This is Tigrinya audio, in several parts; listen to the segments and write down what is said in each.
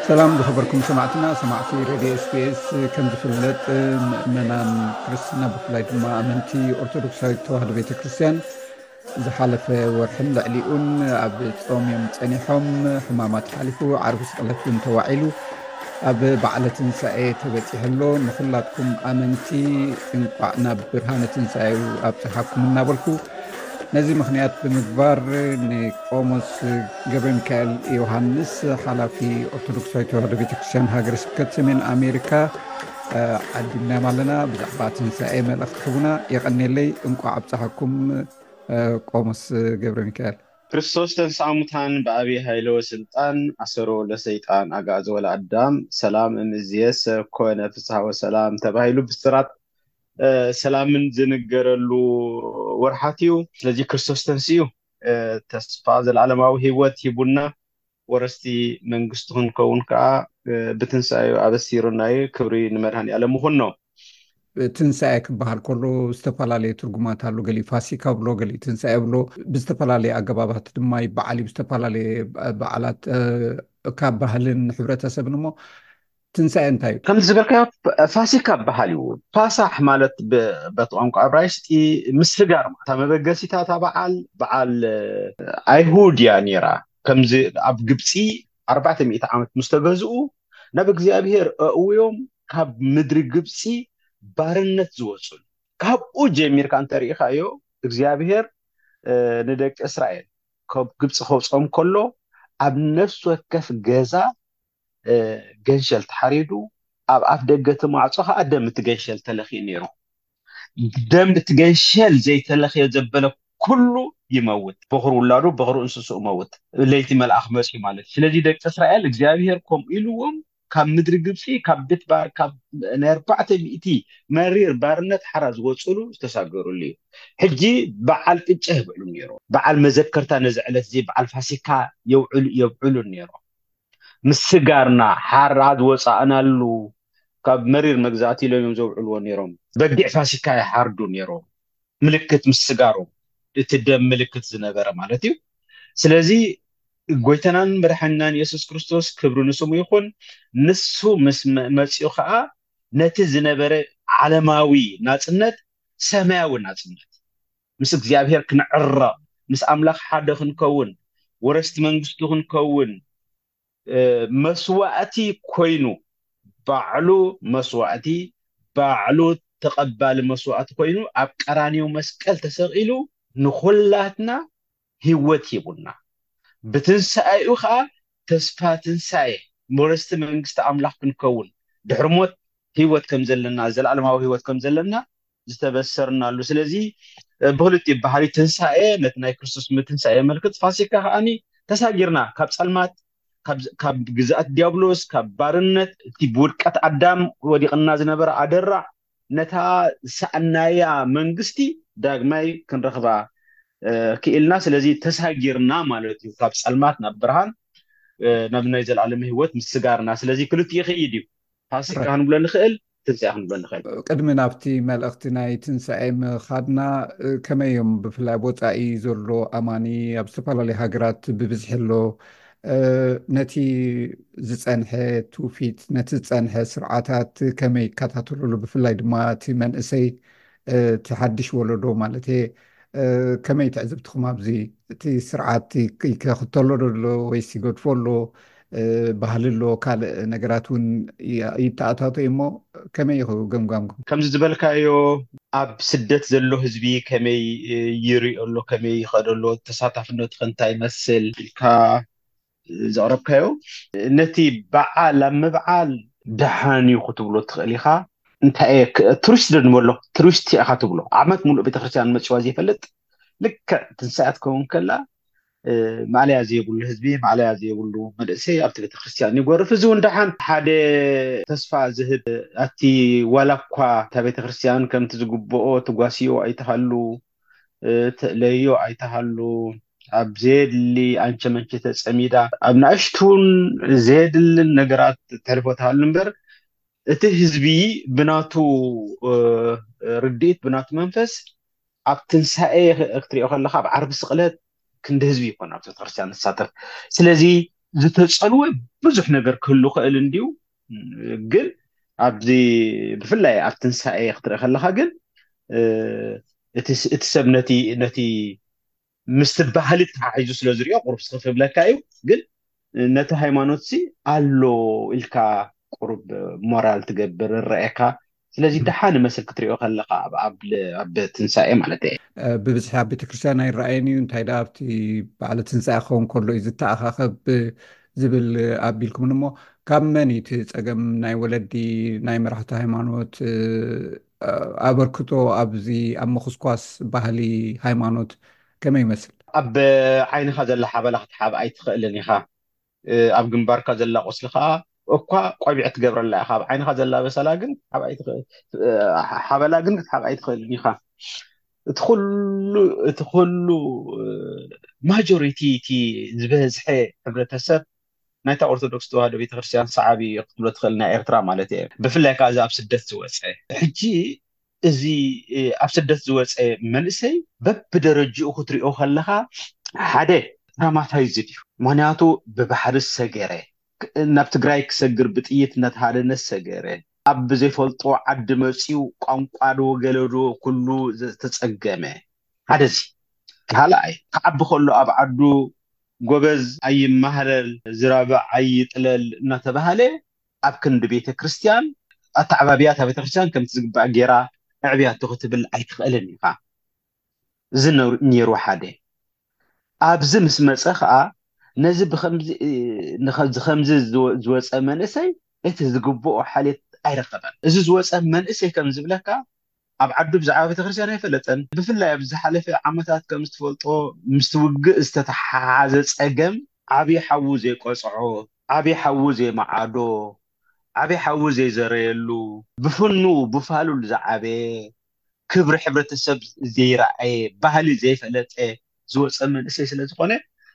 ሰላም ዝኸበርኩም ሰማዕትና፣ ሰማዕቲ ሬድዮ ኤስቢኤስ። ከም ዝፍለጥ፣ ምእመናን ክርስትና፣ ብፍላይ ድማ ኣመንቲ ኦርቶዶክሳዊት ተዋህዶ ቤተ ክርስቲያን፣ ዝሓለፈ ወርሕን ልዕሊኡን ኣብ ጾም እዮም ጸኒሖም። ሕማማት ሓሊፉ፣ ዓርቢ ስቕለት እውን ተዋዒሉ፣ ኣብ በዓለ ትንሳኤ ተበጺሑ ኣሎ። ንኹላትኩም ኣመንቲ እንቋዕ ናብ ብርሃነ ትንሳኤኡ ኣብጽሓኩም እናበልኩ፣ ነዚ ምኽንያት ብምግባር፣ ንቆሞስ ገብረ ሚካኤል ዮሃንስ፣ ሓላፊ ኦርቶዶክሳዊት ተዋህዶ ቤተክርስትያን ሃገረ ስብከት ሰሜን ኣሜሪካ፣ እ፣ ዓዲምናዮም ኣለና። ብዛዕባ ትንሳኤ መልእኽቲ ክህቡና። የቐኔለይ። እንቋዕ ኣብጽሓኩም፣ እ፣ ቆሞስ ገብረ ሚካኤል። ክርስቶስ ተንሥአ እሙታን በአቢይ ኃይለ ወሥልጣን አሰሮ ለሰይጣን አግዓዞ ለአዳም ሰላም እምይእዜሰ ኮነ ፍስሐ ወሰላም ተባሂሉ ብስራት፣ እ፣ ሰላምን ዝንገረሉ ወርሓት እዩ። ስለዚ ክርስቶስ ተንሲኡ፣ እ፣ ተስፋ ዘለዓለማዊ ህይወት ሂቡና፣ ወረስቲ መንግስቱ ክንከውን ከዓ፣ እ፣ ብትንሳኤኡ ኣበሲሩና እዩ። ክብሪ ንመድኃኔ ዓለም ይኹኖ። ትንሳኤ ክበሃል ከሎ ዝተፈላለየ ትርጉማት ኣሎ። ገሊኡ ፋሲካ ብሎ፣ ገሊኡ ትንሳኤ ብሎ፣ ብዝተፈላለየ ኣገባባት ድማ ይበዓል እዩ። ብዝተፈላለየ በዓላት፣ እ፣ ካብ ባህልን ሕብረተሰብን። እሞ ትንሳኤ እንታይ እዩ? ከምቲ ዝበልካዮ፣ ፋሲካ በሃል እዩ። ፋሳሕ ማለት ብ-፣ በቲ ቋንቋ ዕብራይስጢ ምስጋር ማለት። እታ መበገሲታ እታ በዓል፣ በዓል፣ እ፣ ኣይሁድ እያ ነይራ። ከምዚ ኣብ ግብፂ ኣርባዕተ ሚእቲ ዓመት ምስ ተገዝኡ፣ ናብ እግዚኣብሔር ኣእውዮም ካብ ምድሪ ግብፂ ባርነት ዝወፁሉ። ካብኡ ጀሚርካ እንተሪኢኻዮ፣ እግዚኣብሔር፣ እ፣ ንደቂ እስራኤል ካብ ግብፂ ከውፅኦም ከሎ፣ ኣብ ነፍሲ ወከፍ ገዛ፣ እ፣ ገንሸል ተሓሪዱ፣ ኣብ ኣፍ ደገ እቲ ማዕፆ ከዓ ደም እቲ ገንሸል ተለኽዩ ነይሩ። ደም እቲ ገንሸል ዘይተለኽዮ ዘበለ ኩሉ ይመውት። በኹሪ ውላዱ፣ በኹሪ እንስስኡ መውት። ለይቲ መልኣኽ መፅዩ ማለት እዩ። ስለዚ ደቂ እስራኤል እግዚኣብሔር ከምኡ ኢልዎም ካብ ምድሪ ግብፂ፣ ካብ ቤት ባ-፣ ካብ ናይ ኣርባዕተ ሚእቲ መሪር ባርነት ሓራ ዝወፅሉ ዝተሳገሩሉ እዩ። ሕጂ በዓል ቅጫ ይብዕሉ ነይሮም። በዓል መዘከርታ ነዚ ዕለት እዚ በዓል ፋሲካ የውዕሉ፣ የብዕሉ ነይሮም። ምስጋርና ሓራ ዝወፃእናሉ ካብ መሪር መግዛእቲ ኢሎም እዮም ዘውዕልዎ ነይሮም። በጊዕ ፋሲካ ይሓርዱ ነይሮም። ምልክት ምስጋሮም፣ እቲ ደም ምልክት ዝነበረ ማለት እዩ። ስለዚ ጎይታናን መድሓኒናን የሱስ ክርስቶስ ክብሪ ንስሙ ይኹን፣ ንሱ ምስ መ-፣ መፂኡ ከዓ ነቲ ዝነበረ ዓለማዊ ናፅነት ሰማያዊ ናፅነት፣ ምስ እግዚኣብሔር ክንዕረቕ፣ ምስ ኣምላኽ ሓደ ክንከውን፣ ወረስቲ መንግስቱ ክንከውን፣ እ፣ መስዋእቲ ኮይኑ፣ ባዕሉ መስዋእቲ፣ ባዕሉ ተቐባሊ መስዋእቲ ኮይኑ ኣብ ቀራንዮ መስቀል ተሰቒሉ ንኹላትና ህይወት ሂቡና። ብትንሳኤኡ ኸዓ ተስፋ ትንሳኤ፣ ወረስቲ መንግስቲ ኣምላኽ ክንከውን፣ ድሕሪ ሞት ህይወት ከም ዘለና፣ ዘለዓለማዊ ህይወት ከም ዘለና ዝተበሰርናሉ። ስለዚ፣ እ፣ ብኽልቲኡ ባህሪ ትንሳኤ፣ ነቲ ናይ ክርስቶስ ምትንሳኤ የመልክት። ፋሲካ ከዓኒ ተሳጊርና ካብ ጸልማት፣ ካብ፣ ካብ ግዝኣት ዲያብሎስ፣ ካብ ባርነት፣ እቲ ብውድቀት ኣዳም ወዲቕና ዝነበረ ኣደራዕ፣ ነታ ዝሰኣናያ መንግስቲ ዳግማይ ክንረኽባ፣ እ፣ ክኢልና። ስለዚ ተሳጊርና ማለት እዩ፣ ካብ ጸልማት ናብ ብርሃን፣ እ፣ ናብ ናይ ዘላለም ህይወት ምስጋርና። ስለዚ ክልቲኡ ይኸይድ እዩ። ፋሲካ ራይት። ክንብሎ ንኽእል፣ ትንሳኤ ክንብሎ ንኽእል። ቅድሚ ናብቲ መልእኽቲ ናይ ትንሳኤ ምኻድና፣ እ፣ ከመይ እዮም ብፍላይ ኣብ ወጻኢ ዘሎ ኣማኒ ኣብ ዝተፈላለዩ ሃገራት ብብዝሒ ኣሎ፣ እ፣ ነቲ ዝጸንሐ ትውፊት፣ ነቲ ዝጸንሐ ስርዓታት ከመይ ይከታተልሉ፣ ብፍላይ ድማ እቲ መንእሰይ፣ እ፣ እቲ ሓድሽ ወለዶ ማለት እየ፣ እ፣ ከመይ ትዕዝብትኹም ኣብዚ? እቲ ስርዓት ይክ-፣ ይከኽተሎ ዶ ኣሎ ወይስ ይገድፎ ኣሎ? እ፣ ባህሊ ኣሎ፣ ካልእ ነገራት እውን ይ-፣ ይተኣታቶ እሞ ከመይ ኢኹ ገምጋምኩም? ከምዚ ዝበልካዮ፣ ኣብ ስደት ዘሎ ህዝቢ ከመይ፣ እ፣ ይሪኦ ኣሎ፣ ከመይ ይኸዶ ኣሎ፣ ተሳታፍነቱ ከ እንታይ ይመስል ኢልካ ዘቕረብካዮ፣ ነቲ በዓል ኣብ ምብዓል ደሓን እዩ ክትብሎ ትኽእል ኢኻ። እንታይ እየ ክ-፣ ቱሪስት ዶ ንበሎ? ቱሪስት ኢኻ ትብሎ። ዓመት ሙሉእ ቤተክርስትያን መፂዋ ዘይፈልጥ፣ ልክዕ ትንሳኤ ትከውን ከላ፣ እ፣ ማእለያ ዘይብሉ ህዝቢ፣ ማእለያ ዘይብሉ መንእሰይ ኣብቲ ቤተክርስትያን ይጎርፍ። እዚ እውን ደሓን ሓደ ተስፋ ዝህብ፣ ኣቲ ዋላ እኳ እታ ቤተክርስትያን ከምቲ ዝግብኦ ትጓስዮ ኣይተሃሉ፣ እ፣ ትእለዮ ኣይተሃሉ፣ ኣብ ዘየድሊ ኣንቸ መንቸ ተጸሚዳ፣ ኣብ ንኣሽቱን ዘየድልን ነገራት ተሕልፎ ትሃሉ እምበር፣ እቲ ህዝቢ ብናቱ፣ እ፣ ርድኢት፣ ብናቱ መንፈስ፣ ኣብ ትንሳኤ ክትሪኦ ከለኻ፣ ኣብ ዓርቢ ስቕለት ክንዲ ህዝቢ ይኮን ኣብቲ ቤተክርስትያን ዝሳተፍ። ስለዚ ዝተጸልወ ብዙሕ ነገር ክህሉ ክእል እንድዩ። ግን ኣብዚ ብፍላይ ኣብ ትንሳኤ ክትርኢ ከለኻ ግን እቲ ሰብ ነቲ ምስቲ ባህሊ ተሓሒዙ ስለ ዝሪኦ ቁሩብ ስኽፍ ይብለካ እዩ። ግን ነቲ ሃይማኖት ሲ ኣሎ ኢልካ ቁሩብ ሞራል ትገብር፣ ይረኣየካ። ስለዚ ደሓን ይመስል ክትሪኦ ከለኻ ኣብ ትንሳኤ ማለት እየ። ብብዝሒ ኣብ ቤተክርስትያን ኣይረኣየን እዩ። እንታይ ደኣ ኣብቲ በዓለ ትንሳኤ ክኸውን ከሎ እዩ ዝተኣኻኸብ ዝብል ኣቢልኩምን። እሞ ካብ መን እዩ እቲ ጸገም? ናይ ወለዲ፣ ናይ መራሕቲ ሃይማኖት ኣበርክቶ ኣብዚ ኣብ ምኹስኳስ ባህሊ ሃይማኖት ከመይ ይመስል? ኣብ ዓይንኻ ዘላ ሓበላ ክትሓብ ኣይትኽእልን ኢኻ። ኣብ ግንባርካ ዘላ ቁስሊ ከዓ እኳ ቆቢዕ ትገብረላ ኢኻ። ኣብ ዓይንኻ ዘላ በሰላ ግን ሓበላ ግን ክትሓብ ኣይትኽእልን ኢኻ። እቲ ኩሉ እቲ ኩሉ ማጆሪቲ እቲ ዝበዝሐ ሕብረተሰብ ናይታ ኦርቶዶክስ ተዋህዶ ቤተክርስትያን ሰዓቢ ክትብሎ ትኽእል፣ ናይ ኤርትራ ማለት እየ። ብፍላይ ከዓ እዚ ኣብ ስደት ዝወፀ ሕጂ እዚ ኣብ ስደት ዝወፀ መንእሰይ በብደረጅኡ ክትሪኦ ከለኻ ሓደ ትራማታይዝድ እዩ። ምክንያቱ ብባሕሪ ዝሰገረ፣ ናብ ትግራይ ክሰግር ብጥይት እናተሃደነ ዝሰገረ፣ ኣብ ብዘይፈልጦ ዓዲ መፂኡ ቋንቋ ዶ ገለ ዶ ኩሉ ዝተፀገመ ሓደ እዚ። ካልኣይ ክዓቢ ከሎ ኣብ ዓዱ ጎበዝ ኣይማህለል ዝራብዕ ኣይጥለል እናተባሃለ ኣብ ክንዲ ቤተ ክርስቲያን ኣተዓባብያ እታ ቤተ ክርስቲያን ከምቲ ዝግባእ ጌራ ኣዕብያቶ ክትብል ኣይትኽእልን ኢኻ። እዚ ነሩ- ነይሩ ሓደ። ኣብዚ ምስ መፀ ከዓ ነዚ ብከምዚ እ፣ ንኸ- ከምዚ ዝወ- ዝወፀ መንእሰይ እቲ ዝግብኦ ሓልዮት ኣይረኸበን። እዚ ዝወፀ መንእሰይ ከም ዝብለካ ኣብ ዓዱ ብዛዕባ ቤተክርስትያን ኣይፈለጠን። ብፍላይ ኣብ ዝሓለፈ ዓመታት ከም ዝትፈልጦ ምስቲ ውግእ ዝተተሓሓዘ ፀገም ዓብዪ ሓዉ ዘይቆፅዖ፣ ዓብዪ ሓዉ ዘይመዓዶ፣ ዓብዪ ሓዉ ዘይዘረየሉ፣ ብፍኑ ብፋሉል ዝዓበየ፣ ክብሪ ሕብረተሰብ ዘይረኣየ፣ ባህሊ ዘይፈለጠ ዝወፀ መንእሰይ ስለ ዝኾነ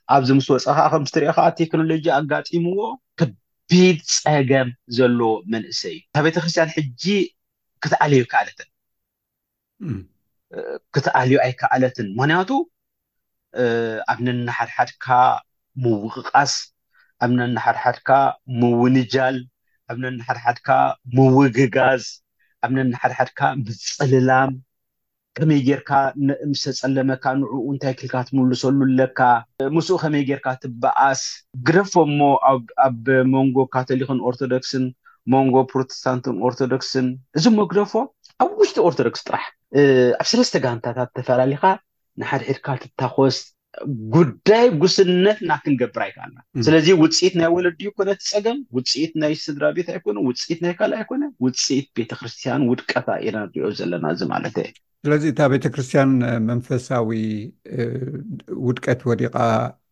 ኣብዚ ምስ ወፀ ከዓ ከም ትሪኦ ከዓ ቴክኖሎጂ ኣጋጢምዎ ከቢድ ፀገም ዘለዎ መንእሰይ እዩ። እታ ቤተክርስትያን ሕጂ ክትኣልዮ ኣይከኣለትን። ክትኣልዮ ኣይከኣለትን። ምክንያቱ ኣብ ነንሓድሓድካ ምውቕቓስ፣ ኣብ ነንሓድሓድካ ምውንጃል፣ ኣብ ነንሓድሓድካ ምውግጋዝ፣ ኣብ ነንሓድሓድካ ምፅልላም፣ ከመይ ጌርካ ን- ምስ ተጸለመካ ንዕኡ እንታይ ክልካ ትምልሰሉ ኣለካ፣ ምስኡ ከመይ ጌርካ ትበኣስ፣ ግደፎ እሞ ኣብ ኣብ መንጎ ካቶሊክን ኦርቶዶክስን መንጎ ፕሮቴስታንትን ኦርቶዶክስን እዚ እሞ ግደፎ ኣብ ውሽጢ ኦርቶዶክስ ጥራሕ እ፣ ኣብ ሰለስተ ጋንታታት ተፈላሊኻ ንሓድሕድካ ትታኾስ ጉዳይ ጉስነትና ክንገብር ኣይከኣልና። ም። ስለዚ ውፅኢት ናይ ወለዲ ይኮነ እቲ ፀገም፣ ውፅኢት ናይ ስድራ ቤት ኣይኮነ፣ ውፅኢት ናይ ካልእ ኣይኮነ፣ ውፅኢት ቤተክርስትያን ውድቀታ ኢና ንሪኦ ዘለና እዚ ማለት እየ። ስለዚ እታ ቤተክርስትያን መንፈሳዊ እ፣ ውድቀት ወዲቓ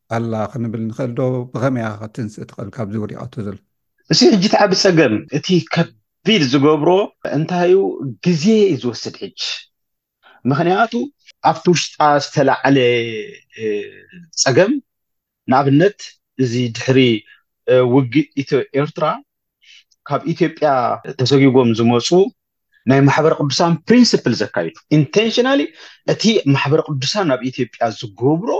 ኣላ ክንብል ንኽእል ዶ? ብኸመይ እያ ክትንስእ ትኽእል ካብዚ ወዲቓቶ ዘሎ? እዚ ሕጂ እቲ ዓቢ ፀገም እቲ ከቢድ ዝገብሮ እንታይ እዩ? ግዜ እዩ ዝወስድ ሕጂ። ምኽንያቱ ኣብቲ ውሽጣ ዝተላዕለ እ፣ ፀገም ንኣብነት እዚ ድሕሪ እ፣ ውግእ ኢትዮ ኤርትራ ካብ ኢትዮጵያ ተሰጊጎም ዝመፁ ናይ ማሕበረ ቅዱሳን ፕሪንስፕል ዘካይዱ ኢንቴንሽናሊ እቲ ማሕበረ ቅዱሳን ናብ ኢትዮጵያ ዝገብሮ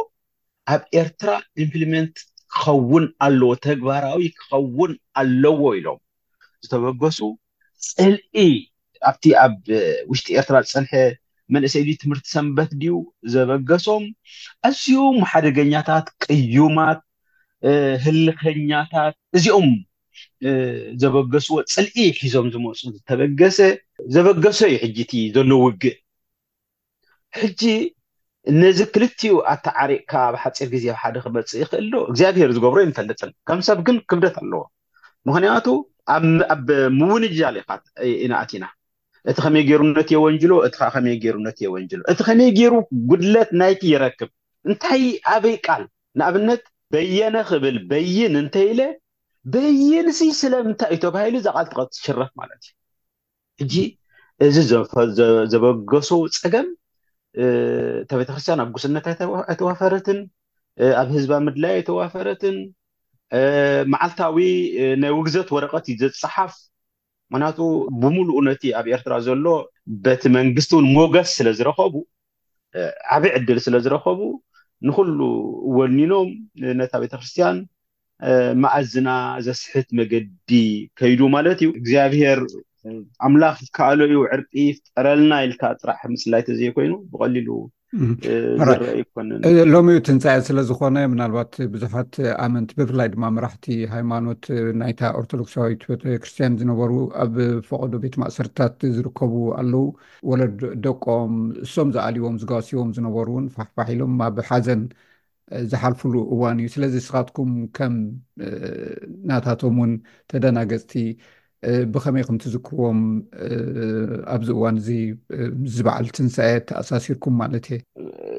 ኣብ ኤርትራ ኢምፕሊመንት ክኸውን ኣለዎ፣ ተግባራዊ ክኸውን ኣለዎ ኢሎም ዝተበገሱ ፅልኢ ኣብቲ ኣብ ውሽጢ ኤርትራ ዝፀንሐ መንእሰይ ድዩ ትምህርቲ ሰንበት ድዩ ዘበገሶም ኣዝዮም ሓደገኛታት ቅዩማት ህልኸኛታት እዚኦም ዘበገስዎ ፅልኢ ሒዞም ዝመፁ ዝተበገሰ ዘበገሶ እዩ ሕጂ እቲ ዘሎ ውግእ። ሕጂ ነዚ ክልቲኡ ኣተዓሪቕካ ኣብ ሓፂር ግዜ ኣብ ሓደ ክመፅእ ይኽእል ዶ እግዚኣብሄር ዝገብሮ ኣይንፈልጥን። ከም ሰብ ግን ክብደት ኣለዎ። ምኽንያቱ ኣብ ምውንጃል ኢና ኣቲና። እቲ ከመይ ገይሩ ነቲ የወንጅሎ እቲ ከዓ ከመይ ገይሩ ነቲ የወንጅሎ እቲ ከመይ ገይሩ ጉድለት ናይቲ ይረክብ እንታይ ኣበይ ቃል ንኣብነት በየነ ክብል በይን እንተኢለ በይንሲ ስለምንታይ እዩ ተባሂሉ እዛ ቃል ትሽረፍ ማለት እዩ። ሕጂ እዚ ዘበገሶ ፀገም እታ ቤተክርስትያን ኣብ ጉስነት ኣይተዋፈረትን፣ ኣብ ህዝባ ምድላይ ኣይተዋፈረትን፣ መዓልታዊ ናይ ውግዘት ወረቀት እዩ ዘፀሓፍ። ምክንያቱ ብምሉኡ ነቲ ኣብ ኤርትራ ዘሎ በቲ መንግስቲ እውን ሞገስ ስለ ዝረኸቡ ዓብዪ ዕድል ስለ ዝረኸቡ ንኩሉ ወኒኖም ነታ ቤተክርስትያን መኣዝና ዘስሕት መገዲ ከይዱ ማለት እዩ። እግዚኣብሔር ኣምላኽ ይከኣሎ እዩ፣ ዕርቂ ይፍጠረልና ኢልካ ጥራሕ ምፅላይ ተዘይኮይኑ ብቐሊሉ ዝረአ ይኮንን። ሎሚ ትንሳኤ ስለ ዝኾነ ምናልባት ብዙሓት ኣመንቲ ብፍላይ ድማ መራሕቲ ሃይማኖት ናይታ ኦርቶዶክሳዊት ቤተክርስትያን ዝነበሩ ኣብ ፈቐዶ ቤት ማእሰርታት ዝርከቡ ኣለዉ። ወለድ ደቆም እሶም ዝኣልዎም ዝጋስዎም ዝነበሩ እውን ፋሕፋሕ ኢሎም ኣብ ሓዘን ዝሓልፍሉ እዋን እዩ። ስለዚ ንስኻትኩም ከም ናታቶም እውን ተደናገፅቲ ብኸመይ ከም ትዝክርዎም ኣብዚ እዋን እዚ ምስ በዓል ትንሳኤ ተኣሳሲርኩም ማለት እየ።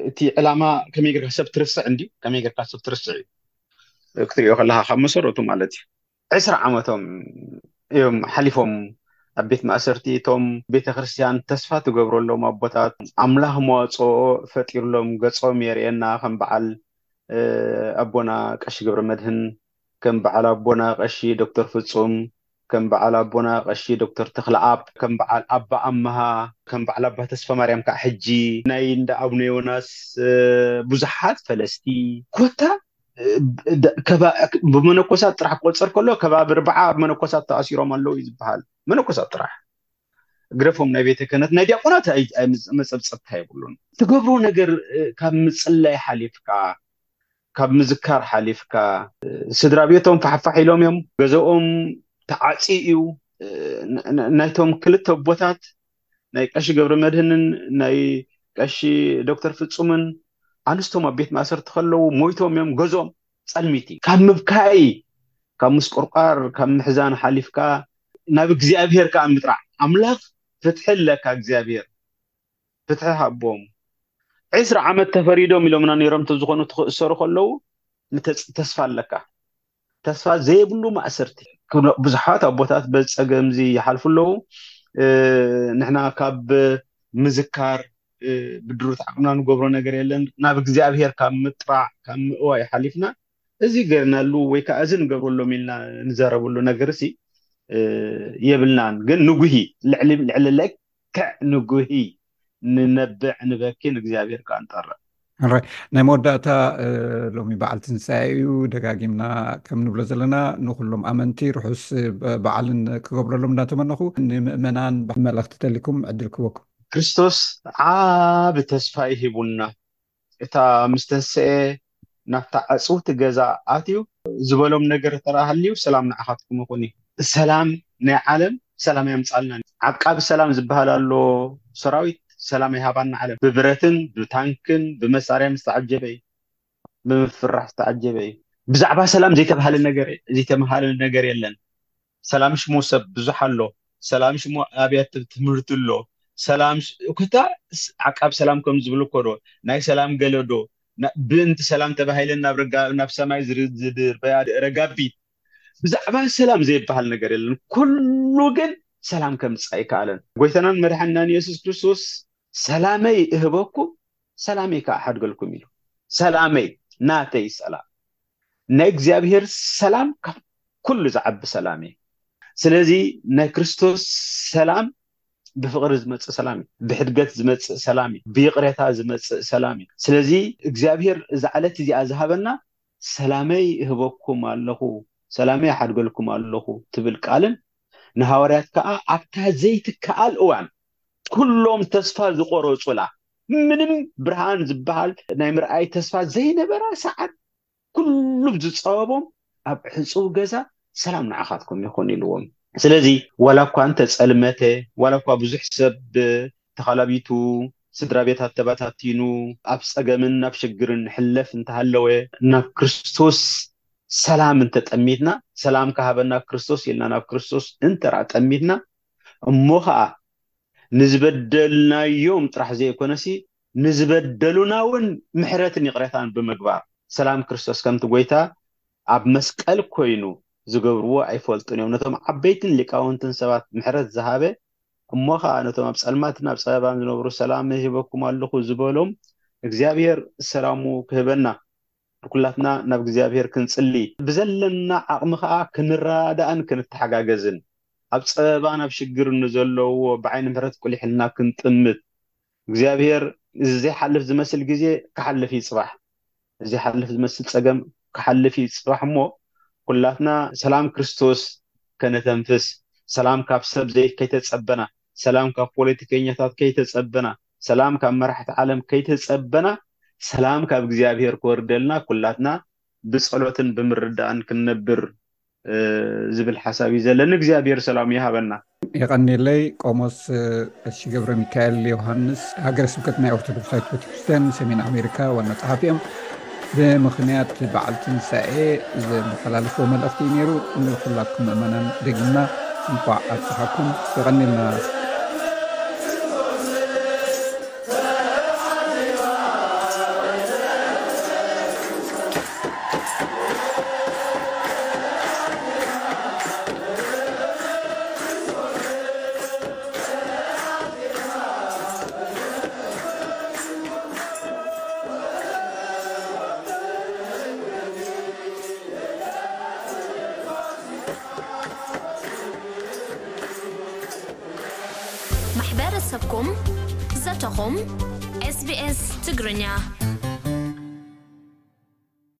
እቲ ዕላማ ከመይ ጌርካ ሰብ ትርስዕ እንዲ ከመይ ጌርካ ሰብ ትርስዕ እዩ ክትሪኦ ከለካ ካብ መሰረቱ ማለት እዩ። ዕስራ ዓመቶም እዮም ሓሊፎም ኣብ ቤት ማእሰርቲ። እቶም ቤተ ክርስቲያን ተስፋ ትገብረሎም ኣቦታት ኣምላኽ መዋፅኦ ፈጢርሎም ገፆም የርእየና ከም በዓል ኣቦና ቀሺ ገብረ መድህን ከም በዓል ኣቦና ቀሺ ዶክተር ፍጹም ከም በዓል ኣቦና ቀሺ ዶክተር ተክለኣብ ከም በዓል ኣባ ኣመሃ ከም በዓል ኣባ ተስፋ ማርያም ከዓ ሕጂ ናይ እንዳ ኣቡነ ዮናስ ብዙሓት ፈለስቲ ኮታ ብመነኮሳት ጥራሕ ክቆፀር ከሎ ከባቢ ርብዓ መነኮሳት ተኣሲሮም ኣለዉ እዩ ዝበሃል። መነኮሳት ጥራሕ ግደፎም ናይ ቤተ ክህነት ናይ ዲያቆናት መፀብፀብታ የብሉን። ትገብሮ ነገር ካብ ምፅላይ ሓሊፍካ ካብ ምዝካር ሓሊፍካ ስድራ ቤቶም ፋሕፋሕ ኢሎም እዮም። ገዛኦም ተዓፂ እዩ። ናይቶም ክልተ ኣቦታት ናይ ቀሺ ገብረ መድህንን ናይ ቀሺ ዶክተር ፍጹምን ኣንስቶም ኣብ ቤት ማእሰርቲ ከለዉ ሞይቶም እዮም። ገዞም ፀልሚቲ ካብ ምብካይ ካብ ምስቁርቋር ካብ ምሕዛን ሓሊፍካ ናብ እግዚኣብሔር ከዓ ምጥራዕ ኣምላኽ ፍትሒ ኣለካ እግዚኣብሔር ፍትሒ ሃቦም። ዕስራ ዓመት ተፈሪዶም ኢሎምና ነይሮም እንተዝኾኑ ትኽእሰሩ ከለዉ ተስፋ ኣለካ። ተስፋ ዘይብሉ ማእሰርቲ ብዙሓት ኣቦታት በዚ ጸገም እዚ ይሓልፉ ኣለዉ። ንሕና ካብ ምዝካር ብድሩት ዓቕምና ንገብሮ ነገር የለን። ናብ እግዚኣብሔር ካብ ምጥራዕ ካብ ምእዋይ ሓሊፍና እዚ ገርናሉ ወይ ከዓ እዚ ንገብረሎም ኢልና ንዘረብሉ ነገር ሲ የብልናን። ግን ንጉሂ ልዕሊ ልዕሊ ለክዕ ንጉሂ ንነብዕ ንበኪ ንእግዚኣብሔር ከዓ ንጠርዕ። ሕራይ ናይ መወዳእታ ሎሚ በዓል ትንሳኤ እዩ። ደጋጊምና ከም ንብሎ ዘለና ንኩሎም ኣመንቲ ርሑስ በዓልን ክገብረሎም እናተመነኹ ንምእመናን መልእኽቲ ተሊኩም ዕድል ክበኩም። ክርስቶስ ዓብ ተስፋ ይሂቡና። እታ ምስ ተንስኤ ናብታ ዕፅውቲ ገዛ ኣትዩ ዝበሎም ነገር ተረሃልዩ ሰላም ንዓኻትኩም ይኹን እዩ። ሰላም ናይ ዓለም ሰላም ያምፃልና። ዓቃቢ ሰላም ዝበሃል ኣሎ ሰራዊት ሰላም ይሃባና ዓለም። ብብረትን ብታንክን ብመሳርያን ዝተዓጀበ እዩ። ብምፍራሕ ዝተዓጀበ እዩ። ብዛዕባ ሰላም ዘይተባሃለ ነገር ዘይተመሃለ ነገር የለን። ሰላም ሽሞ ሰብ ብዙሕ ኣሎ። ሰላም ሽሞ ኣብያት ትምህርቲ ኣሎ። ሰላም ኩታ ዓቃብ ሰላም ከም ዝብል እኮ ዶ ናይ ሰላም ገለ ዶ ብእንቲ ሰላም ተባሂለን ናብ ረጋ ናብ ሰማይ ዝድርበያ ረጋቢት ብዛዕባ ሰላም ዘይበሃል ነገር የለን። ኩሉ ግን ሰላም ከምፅእ ኣይከኣለን። ጎይታናን መድሓንናን የሱስ ክርስቶስ ሰላመይ እህበኩም ሰላመይ ከዓ ሓድገልኩም ኢሉ። ሰላመይ ናተይ ሰላም ናይ እግዚኣብሔር ሰላም ካብ ኩሉ ዝዓቢ ሰላም እዩ። ስለዚ ናይ ክርስቶስ ሰላም ብፍቕሪ ዝመፅእ ሰላም እዩ። ብሕድገት ዝመፅእ ሰላም እዩ። ብይቕሬታ ዝመፅእ ሰላም እዩ። ስለዚ እግዚኣብሔር እዛ ዕለት እዚኣ ዝሃበና ሰላመይ እህበኩም ኣለኹ፣ ሰላመይ እሓድገልኩም ኣለኹ ትብል ቃልን ንሃዋርያት ከዓ ኣብታ ዘይትከኣል እዋን ኩሎም ተስፋ ዝቆረፁላ ምንም ብርሃን ዝበሃል ናይ ምርኣይ ተስፋ ዘይነበራ ሰዓት ኩሉ ዝፀበቦም ኣብ ዕፁብ ገዛ ሰላም ንዓኻትኩም ይኹን ኢልዎም። ስለዚ ዋላ እኳ እንተፀልመተ ዋላ እኳ ብዙሕ ሰብ ተኻላቢቱ ስድራ ቤታት ተባታቲኑ ኣብ ፀገምን ኣብ ሽግርን ንሕለፍ እንተሃለወ ናብ ክርስቶስ ሰላም እንተጠሚትና ሰላም ካሃበና ክርስቶስ ኢልና ናብ ክርስቶስ እንተራ ጠሚትና እሞ ከዓ ንዝበደልናዮም ጥራሕ ዘይኮነሲ ንዝበደሉና እውን ምሕረትን ይቕሬታን ብምግባር ሰላም ክርስቶስ ከምቲ ጎይታ ኣብ መስቀል ኮይኑ ዝገብርዎ ኣይፈልጡን እዮም። ነቶም ዓበይትን ሊቃውንትን ሰባት ምሕረት ዝሃበ እሞ ከዓ ነቶም ኣብ ፀልማትን ኣብ ፀበባን ዝነብሩ ሰላም ሂበኩም ኣለኹ ዝበሎም እግዚኣብሔር ሰላሙ ክህበና ኩላትና ናብ እግዚኣብሔር ክንፅሊ ብዘለና ዓቕሚ ከዓ ክንረዳዳእን ክንተሓጋገዝን ኣብ ፀበባን ኣብ ሽግርን ንዘለውዎ ብዓይኒ ምሕረት ቁሊሕልና ክንጥምት እግዚኣብሔር እዚ ዘይሓልፍ ዝመስል ግዜ ክሓልፍ እዩ ፅባሕ። እዚ ሓልፍ ዝመስል ፀገም ክሓልፍ እዩ ፅባሕ እሞ ኩላትና ሰላም ክርስቶስ ከነተንፍስ፣ ሰላም ካብ ሰብ ዘይ ከይተጸበና፣ ሰላም ካብ ፖለቲከኛታት ከይተጸበና፣ ሰላም ካብ መራሕቲ ዓለም ከይተጸበና፣ ሰላም ካብ እግዚኣብሔር ክወርደልና ኩላትና ብጸሎትን ብምርዳእን ክንነብር ዝብል ሓሳብ እዩ ዘለኒ። እግዚኣብሔር ሰላም ይሃበና። የቐንየለይ። ቆሞስ ቀሺ ገብረ ሚካኤል ዮሃንስ፣ ሃገረ ስብከት ናይ ኦርቶዶክሳዊት ቤተክርስትያን ሰሜን ኣሜሪካ ዋና ጸሓፊ እዮም። ብምኽንያት በዓል ትንሳኤ ዘመሓላለፍዎ መልእኽቲ እዩ ነይሩ። ንኹላትኩም ምእመናን ደጊምና እንኳዕ ኣብጽሓኩም። የቐንየልና። ማሕበረሰብኩም፣ ዘተኹም፣ SBS ትግርኛ።